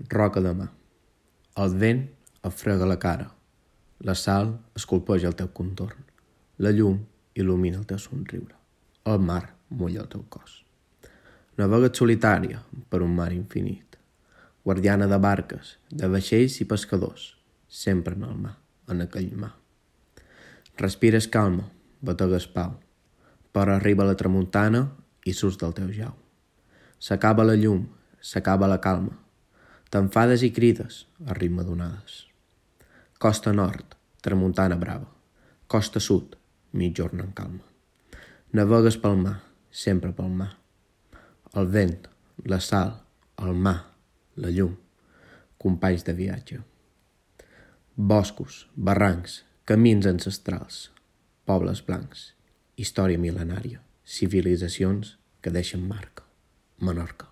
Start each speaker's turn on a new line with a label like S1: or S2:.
S1: roca de mà. El vent et frega la cara. La sal esculpeja el teu contorn. La llum il·lumina el teu somriure. El mar mulla el teu cos. Navega't solitària per un mar infinit. Guardiana de barques, de vaixells i pescadors, sempre en el mar, en aquell mar. Respires calma, bategues pau, però arriba la tramuntana i surts del teu jau. S'acaba la llum, s'acaba la calma. T'enfades i crides a ritme d'onades. Costa nord, tramuntana brava. Costa sud, mitjorn en calma. Navegues pel mar, sempre pel mar. El vent, la sal, el mar, la llum, companys de viatge. Boscos, barrancs, camins ancestrals, pobles blancs, història mil·lenària, civilitzacions que deixen marca. Menorca.